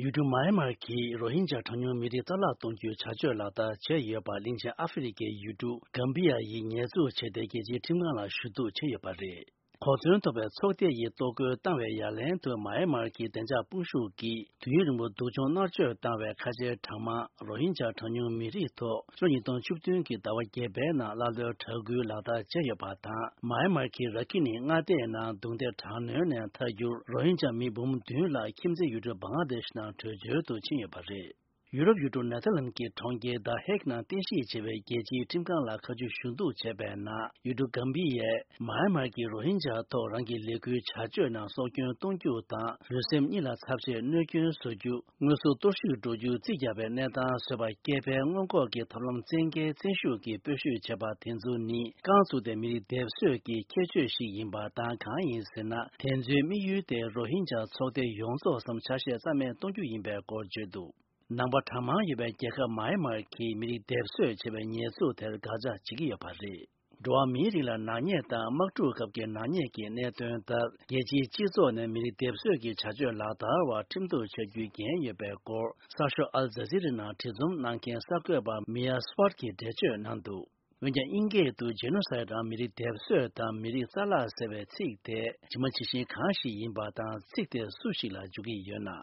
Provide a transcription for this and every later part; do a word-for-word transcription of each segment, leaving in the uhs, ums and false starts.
ཡུལ་གྲུ་མཱ་ཡན་མར་གྱིས་རོ་ཧིན་ཇཱ་གྲངས་ཉུང་མི་རིགས་རྩ་བརླག་གཏོང་རྒྱུའི་བྱ་སྤྱོད་ལག་བསྟར་བྱས་ཡོད་པ་གླིང་ཆེན་ཨ་ཧྥེ་རི་ཁའི་ཡུལ་གྲུ་གམ་བི་ཡ་ཡིས་ཉེས་འཛུགས་བྱས་ཏེ་རྒྱལ་སྤྱིའི་ཁྲིམས་ཁང་ལ་ཞུ་གཏུག་བྱས་ཡོད་པ་རེད། གོ་མཚོན་ཐོབ་པའི་ཚོགས་སྡེ་ཡིས་གཏོར་རྒོལ་བཏང་བའི་ཡ་ལན་དུ་མཱ་ཡན་མར་གྱི་བདེ་འཇགས་དཔུང་ཤུགས་ཀྱིས་དུས་ཡུན་རིང་པོ་སྡུག་སྦྱོང་མནར་གཅོད་བཏང་བའི་ཁ་ཆེའི་གྲངས་མང་རོ་ཧིན་ཇཱ་གྲངས་ཉུང་མི་རིགས་ཐོག་ཕྱི་ལོ་ཉིས་སྟོང་བཅུ་བདུན་གྱི་ཟླ་བ་བརྒྱད་པའི་ནང་ཀླ་ཀློའི་དྲག་སྐུལ་ལག་བསྟར་བྱས་ཡོད་པ་དང་། མཱ་ཡན་མར་གྱི་ར་ཁི་ནི་མངའ་སྡེའི་ནང་རྡུང་རྡེག་དྲག་གནོན་ནས་ཐར་རྒྱུར་རོ་ཧིན་ཇཱ་མི་འབུམ་བདུན་ལྷག་ཁྱིམ་མཚེས་ཡུལ་གྲུ་བང་ལ་དེཤ་ནང་བྲོས་བྱོལ་དུ་ཕྱིན་ཡོད་པ་རེད། ཡུ་རོབ་ཡུལ་གྲུ་ནེ་ཐར་ལན་གྱི་གྲོང་ཁྱེར་ད་ཧེག་ནང་རྟེན་གཞི་བྱས་པའི་རྒྱལ་སྤྱིའི་ཁྲིམས་ཁང་ལ་ཁ་མཆུ་ཞུ་གཏུག་བྱས་པའི་ནང་ཡུལ་གྲུ་གམ་བི་ཡས་མཱ་ཡན་མར་གྱི་རོ་ཧིན་ཇཱ་ཐོག་རང་གི་ལས་འགུལ་བྱ་སྤྱོད་ནང་སྲོག་སྐྱོན་གཏོང་རྒྱུ་དང་རུས་སེམས་གཉིས་ལ་ཚབས་ཆེའི་གནོད་སྐྱོན་བཟོ་རྒྱུ། དངོས་སུ་གཏོར་བཤིག་འགྲོ་རྒྱུའི་རྩིས་བརྒྱབ་པའི་གནས་སྟངས་བཟོས་པ་སྐྱེས་པའི་སྔོན་འགོག་གི་ཐབས་ལམ་བཙན་འགེལ་བཙན་ཤུགས་ཀྱིས་སྤོས་ཤུགས་བྱས་པ་དེ་ཚོ་ནི་རྐང་བཙུགས་ཏེ་མི་རིགས་སྡེབ་གསོད་ཀྱི་ཁྱད་ཆོས་ཤིག་ཡིན་པ་དང་། གང་ཡིན་ཟེར་ན། དེ་ཚོའི་དམིགས་ཡུལ་དེ་རོ་ཧིན་ཇཱ་ཚོགས་སྡེ་ཡོངས་རྫོགས་སམ་ཆ་ཤས་རྩ་མེད་གཏོང་རྒྱུ་ཡིན་པའི་སྐོར་བརྗོད་འདུག་ནང་པ་གྲངས་མང་ཡོད་པའི་རྒྱལ་ཁབ་མཱ་ཡན་མར་གྱིས་མི་རིགས་སྡེབ་གསོད་བྱས་པའི་ཉེས་འཛུགས་དེར་དགག་བྱ་བྱེད་ཀྱི་ཡོད་པ་རེད། འགྲོ་བ་མིའི་རིགས་ལ་ནག་ཉེས་དང་དམག་འཁྲུག་སྐབས་ཀྱི་ནག་ཉེས་ཀྱི་གནད་དོན་ལྟར། རྒྱལ་སྤྱིའི་སྤྱི་ཚོགས་ནས་མི་རིགས་སྡེབ་གསོད་ཀྱི་བྱ་སྤྱོད་ལག་བསྟར་བར་ཁྲིམས་གཏུག་བྱ་རྒྱུའི་འགན་ཡོད་པའི་སྐོར། གསར་ཤོག་ཨལ་ཛ་ཛི་རི་ནང་བྲིས་རྩོམ་གནང་མཁན་གསར་འགོད་པ་མི་ཡ་སི་ཝར་གྱིས་འགྲེལ་བརྗོད་གནང་འདུག་འོན་ཀྱང་དབྱིན་སྐད་དུ་ཇེ་ནོ་སའིད་རམ་མི་རིགས་སྡེབ་གསོད་དང་མི་རིགས་རྩ་བརླག་ཟེར་བའི་ཚིག་དེ་ཇི་མ་ཇི་བཞིན་གང་ཞིག་ཡིན་པ་དང་། ཚིག་དེ་སུ་ཞིག་ལ་འཇུག་གི་ཡོད་ན།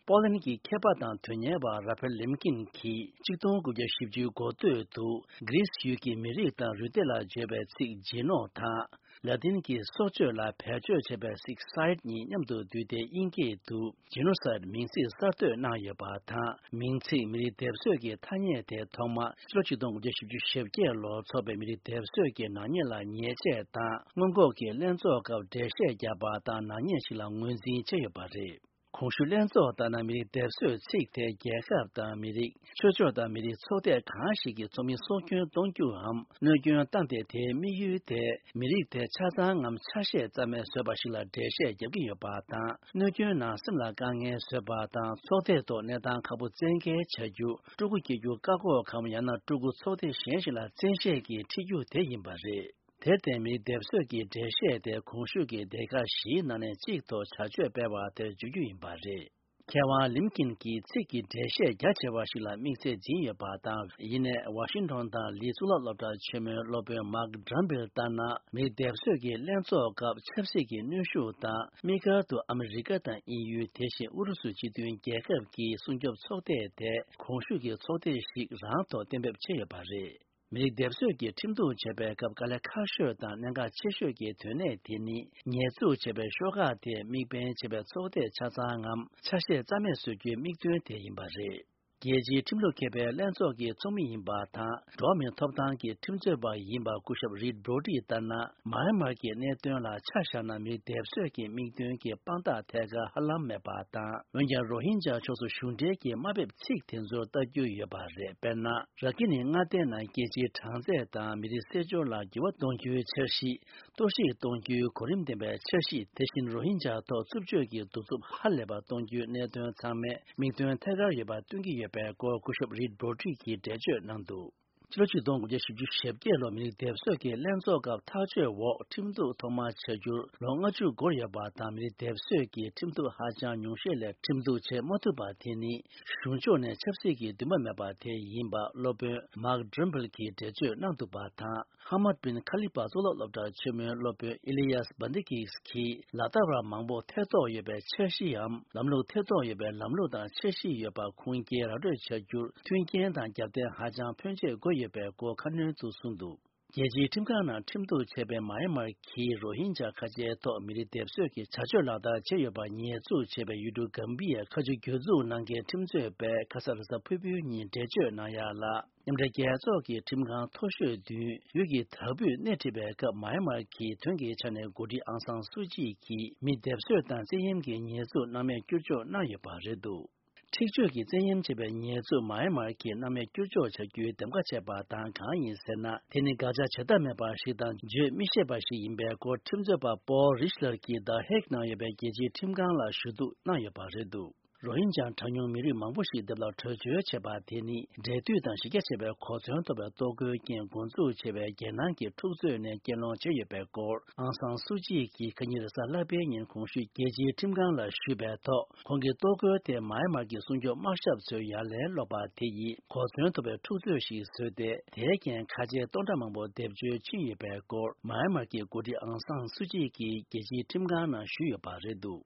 པོ་ལན་གྱི་མཁས་པ་དང་དོན་གཉེར་བ་ར་ཕེལ་ལིམ་ཀིན་གྱིས་ཆིག་སྟོང་དགུ་བརྒྱ་བཞི་བཅུའི་འགོ་སྟོད་དུ་གྷི་རིས་ཡུལ་གྱི་མི་རིགས་དང་རུས་སྡེ་ལ་བརྗོད་པའི་ཚིག་ཇེ་ནོ་དང་། ལ་ཏིན་གྱི་སྲོག་གཅོད་ལ་བེད་སྤྱོད་བྱས་པའི་ཚིག་སའིད་གཉིས་མཉམ་དུ་བསྡུས་ཏེ་དབྱིན་སྐད་དུ་ཇེ་ནོ་སའིད་མིང་ཚིག་གསར་གཏོད་གནང་ཡོད་པ་དང་། མིང་ཚིག་མི་རིགས་སྡེབ་གསོད་ཀྱི་ཐ་སྙད་དེ་ཐོག་མར་ཕྱི་ལོ་ཆིག་སྟོང་དགུ་བརྒྱ་བཞི་བཅུ་ཞེ་བརྒྱད་ལོར་ཚོགས་པའི་མི་རིགས་སྡེབ་གསོད་ཀྱི་ནག་ཉེས་ལ་ཉེས་ཆད་དང་སྔོན་འགོག་གི་ལྷན་ཚོགས་སྐབས་འགྲེལ་བཤད་བརྒྱབ་པ་དང་ནག་ཉེས་ཤིག་ལ་ངོས་འཛིན་བྱས་ཡོད་པ་རེད། གོང་ཞུས་ལྷན་ཚོགས་ལྟར་ན། མི་རིགས་སྡེབ་གསོད་ཚིག་དེ་རྒྱལ་ཁབ་དང་མི་རིགས། ཆོས་ཕྱོགས་དང་མི་རིགས་ཚོགས་སྡེ་གང་ཞིག་གིས་ཚོགས་མི་སྲོག་སྐྱོན་གཏོང་རྒྱུའམ་གནོད་སྐྱོན་བཏང་སྟེ། དེའི་དམིགས་ཡུལ་དེ་མི་རིགས་དེ་ཆ་ཚང་ངམ་ཆ་ཤས་རྩ་མེད་བཟོས་པ་ཞིག་ལ་འགྲེལ་བཤད་བརྒྱབ་ཀྱི་ཡོད་པ་དང་། གནོད་སྐྱོན་ནང་སེམས་ལ་དཀའ་ངལ་བཟོས་པ་དང་། ཚོགས་སྡེའི་ཐོག་གནས་སྟངས་ཁག་པོ་བཙན་འགེལ་བྱ་རྒྱུ། ཕྲུ་གུ་སྐྱེ་རྒྱུ་བཀག་འགོག་གམ། ཡང་ན་ཕྲུ་གུ་ཚོགས་སྡེ་གཞན་ཞིག་ལ་བཙན་ཤེད་ཀྱིས་ཁྲིད་རྒྱུ་དེ་ཡིན་པ་རེད། དེར་བརྟེན། མི་སྡེབ་གསོད་ཀྱི་འགྲེལ་བཤད་དེ་གོང་ཞུས་ཀྱི་སྡེ་ཁག་བཞིའི་ནང་ནས་གཅིག་ཐོག་བྱ་སྤྱོད་སྤེལ་བ་དེར་འཇུག་རྒྱུ་ཡིན་པ་རེད། མཁས་དབང་ལིམ་ཀིན་གྱིས་ཚིག་གི་འགྲེལ་བཤད་རྒྱ་ཆེ་བ་ཞིག་ལ་དམིགས་ཚད་འཛིན་ཡོད་པ་དང་། ཡིན་ནའི་ཝ་ཤིང་ཊོན་དང་ལི་གཙུག་ལག་སློབ་གྲྭ་ཆེན་མོའི་སློབ་དཔོན་མཱག་ཌམ་བིལ་ལྟར་ན། མི་སྡེབ་གསོད་ཀྱི་ལྷན་ཚོགས་སྐབས་ཆབ་སྲིད་ཀྱི་གནོན་ཤུགས་དང་། དམིགས་བཀར་དུ་ཨ་མི་རི་ཀ་དང་དབྱིན་ཡུལ། དེ་བཞིན་ཨུ་རུ་སུ་སྤྱི་མཐུན་རྒྱལ་ཁབ་ཀྱི་སྲུང་སྐྱོབ་ཚོགས་སྡེ་དེ་གོང་ཞུས་ཀྱི་ཚོགས་སྡེ་ཞིག་རང་ཐོག་གཏན་འབེབས་བྱས་ཡོད་པ་རེད། མི་རིགས་སྡེབ་གསོད་ཀྱི་ཁྲིམས་གཏུག་བྱེད་པའི་སྐབས་དཀའ་ལས་ཁག་ཤོས་དང་གནད་འགག་ཆེ་ཤོས་ཀྱི་དོན་གནད་དེ་ནི། ཉེས་འཛུགས་བྱས་པའི་ཤོག་ཁག་དེས་དམིགས་འབེན་བྱས་པའི་ཚོགས་སྡེ་ཆ་ཚང་ངམ་ཆ་ཤས་རྩ་མེད་བཟོ་རྒྱུའི་དམིགས་དོན་དེ་ཡིན་པ་རེད། རྒྱལ་སྤྱིའི་ཁྲིམས་ལུགས་མཁས་པའི་ལྷན་ཚོགས་ཀྱི་ཚོགས་མི་ཡིན་པ་དང་། འགྲོ་བ་མིའི་ཐོབ་ཐང་གི་ཁྲིམས་རྩོད་པ་ཡིན་པ་སྐུ་ཞབས་རིད་བྷྲོ་ཌི་ལྟར་ན། མཱ་ཡན་མར་གྱི་གནད་དོན་ལ་ཆ་བཞག་ན། མི་རིགས་སྡེབ་གསོད་ཀྱི་དམིགས་དོན་གྱི་དཔང་རྟགས་ཐད་ཀར་ཧ་ལམ་མེད་པ་དང་། འོན་ཀྱང་། རོ་ཧིན་ཇཱ་ཕྱོགས་སུ་གཞུང་འབྲེལ་གྱི་དམའ་འབེབས་ཚིག་དེ་ཚོར་ལྟ་རྒྱུ་ཡོད་པ་རེད། དཔེར་ན། ར་ཀི་ནི་མངའ་སྡེའི་ནང་རྒྱལ་སྤྱིའི་གྲངས་ཚད་དང་མི་རིགས་བསྲེས་སྦྱོར་ལ་འགྱུར་བ་གཏོང་རྒྱུའི་འཆར་གཞི། གཏོར་བཤིག་གཏོང་རྒྱུའི་གོ་རིམ་ལྡན་པའི་འཆར་གཞི། དེ་བཞིན་རོ་ཧིན་ཇཱ་ཐོག་རྩུབ་སྤྱོད་ཀྱི་གདུག་རྩུབ་ཧ་ལས་པ་གཏོང་རྒྱུའི་གནད་དོན་ཚང་མས་དམིགས་དོན་ཐད་ཀར་ཡོད་པ་སྟོན་གྱི་ཡོད་པའི་སྐོར་སྐུ་ཞབས་རིད་བྷྲོ་ཌི་གིས་འགྲེལ་བརྗོད་གནང་འདུག་ཕྱི་ལོ་ཆིག་སྟོང་དགུ་བརྒྱ་བཞི་བཅུ་ཞེ་བརྒྱད་ལོར་མི་རིགས་སྡེབ་གསོད་ཀྱི་ལྷན་ཚོགས་སྐབས་ཐག་གཅོད་འོག་ཁྲིམས་གཏུག་ཐོག་མར་བྱ་རྒྱུར་ལོ་ལྔ་བཅུ་འགོར་ཡོད་པ་དང་། མི་རིགས་སྡེབ་གསོད་ཀྱི་ཁྲིམས་གཏུག་ཧ་ཅང་ཉུང་ཤས་ལས་ཁྲིམས་གཏུག་བྱེད་མ་ཐུབ་པ་དེ་ནི། གཞུང་ཕྱོགས་ནས་ཆབ་སྲིད་ཀྱི་འདུན་པ་མེད་པ་དེ་ཡིན་པ་སློབ་དཔོན་མཱག་ཌམ་བིལ་གྱིས་འགྲེལ་བརྗོད་གནང་འདུག་པ་དང་། ཧ་མཱད་བིན་ཁ་ལི་པ་གཙུག་ལག་སློབ་གྲྭ་ཆེན་མོའི་སློབ་དཔོན་ཨི་ལི་ཡཱས་བྷན་ཏི་ཀིས་ཀྱིས་ལག་བསྟར་བ་མང་པོ་ཐེ་གཏོགས་ཡོད་པའི་འཆར་གཞིའམ་ལམ་ལུགས། ཐེ་གཏོགས་ཡོད་པའི་ལམ་ལུགས་དང་འཆར་གཞི་ཡོད་པ་ཁུངས་སྐྱེལ་ར་སྤྲོད་བྱ་རྒྱུར་མཐུན་རྐྱེན་དང་རྒྱབ་རྟེན་ཧ་ཅང་ཕོན་ཆེ་དགོས་ཡོད་པའི་སྐོར་ཁ་སྣོན་དུ་གསུངས་འདུག་རྒྱལ་སྤྱིའི་ཁྲིམས་ཁང་ནང་ཁྲིམས་གཏུག་བྱས་པའི་མཱ་ཡན་མར་གྱི་རོ་ཧིན་ཇཱ་ཁ་ཆེའི་ཐོག་མི་རིགས་སྡེབ་གསོད་ཀྱི་བྱ་སྤྱོད་ལག་བསྟར་བྱས་ཡོད་པར་ཉེས་འཛུགས་བྱས་པའི་ཡུལ་གྲུ་གམ་བི་ཡའི་ཁ་མཆུ་གྱོད་འཛུགས་གནང་མཁན་ཁྲིམས་རྩོད་པས་ཁ་ས་རེ་ས་ཕུར་བུའི་ཉིན་འགྲེལ་བརྗོད་གནང་ཡ་ལ། མཉམ་འབྲེལ་རྒྱལ་ཚོགས་ཀྱི་ཁྲིམས་ཁང་མཐོ་ཤོས་མདུན་ཡུལ་གྱི་དྭགས་པོས་སྣེ་ཁྲིད་པའི་སྐབས། མཱ་ཡན་མར་གྱི་དོན་གྱི་ཆ་ནས་འགོ་ཁྲིད་ཨང་སང་སུའུ་ཅི་གིས་མི་སྡེབ་གསོད་དང་བཙན་གཡེམ་གྱི་ཉེས་འཛུགས་སྣང་མེད་བསྐྱུར་འཇོག་གནང་ཡོད་པ་རེད་འདུག་འཁྲིག་སྤྱོད་ཀྱིས་བཙན་གཡེམ་བྱས་པའི་ཉེས་འཛུགས་མཱ་ཡན་མར་གྱིས་སྣང་མེད་བསྐྱུར་འཇོག་བྱ་རྒྱུའི་འདེམས་ཀ་བྱས་པ་དང་། གང་ཡིན་ཟེར་ན། དེ་ནི་དགག་བྱ་བྱེད་ཐབས་མེད་པ་ཞིག་དང་། བརྗོད་མི་ཤེས་པ་ཞིག་ཡིན་པའི་སྐོར་ཁྲིམས་རྩོད་པ་པོལ་རིཤ་ལར་གྱིས་ད་ཧེག་ནང་ཡོད་པའི་རྒྱལ་སྤྱིའི་ཁྲིམས་ཁང་ལ་ཞུ་གཏུག་གནང་ཡོད་པ་རེད་འདུག་རོ་ཧིན་ཇཱ་གྲངས་ཉུང་མི་རིགས་མང་པོ་ཞིག་འདི་ལ་བྲོས་བྱོལ་བྱས་པ་དེ་ནི། འབྲེལ་མཐུད་དང་གཞི་རྒྱ་ཆེ་བའི་གོ་མཚོན་ཐོབ་པའི་གཏོར་རྒོལ་རྐྱེན་འགོ་འཛུགས་བྱས་པའི་རྒྱལ་ནང་གི་འཁྲུག་རྩོད་ནས་རྐྱེན་སློང་བྱས་ཡོད་པའི་སྐོར། ཨང་སང་སུ་ཅི་གིས་ཁ་ཉིན་རེས་གཟའ་ལྷག་པའི་ཉིན་གོང་ཞུས་རྒྱལ་སྤྱིའི་ཁྲིམས་ཁང་ལ་ཞུས་པའི་ཐོག་ཁོང་གིས་གཏོར་རྒོལ་དེ་མཱ་ཡན་མར་གྱི་སྲུང་སྐྱོབ་དམག་ཞབས་ཚོའི་ཡ་ལན་སློག་པ་དེ་ཡིས་གོ་མཚོན་ཐོབ་པའི་འཁྲུག་རྩོད་ཞིག་བཟོས་ཏེ། དེའི་རྐྱེན་ཁ་ཆེའི་སྟོང་ཕྲག་མང་པོ་སྡེབ་བྱོལ་ཕྱིན་ཡོད་པའི་སྐོར། མཱ་ཡན་མར་གྱི་འགོ་ཁྲིད་ཨང་སང་སུ་ཅི་གིས་རྒྱལ་སྤྱིའི་ཁྲིམས་ཁང་ནང་ཞུས་ཡོད་པ་རེད་འདུག།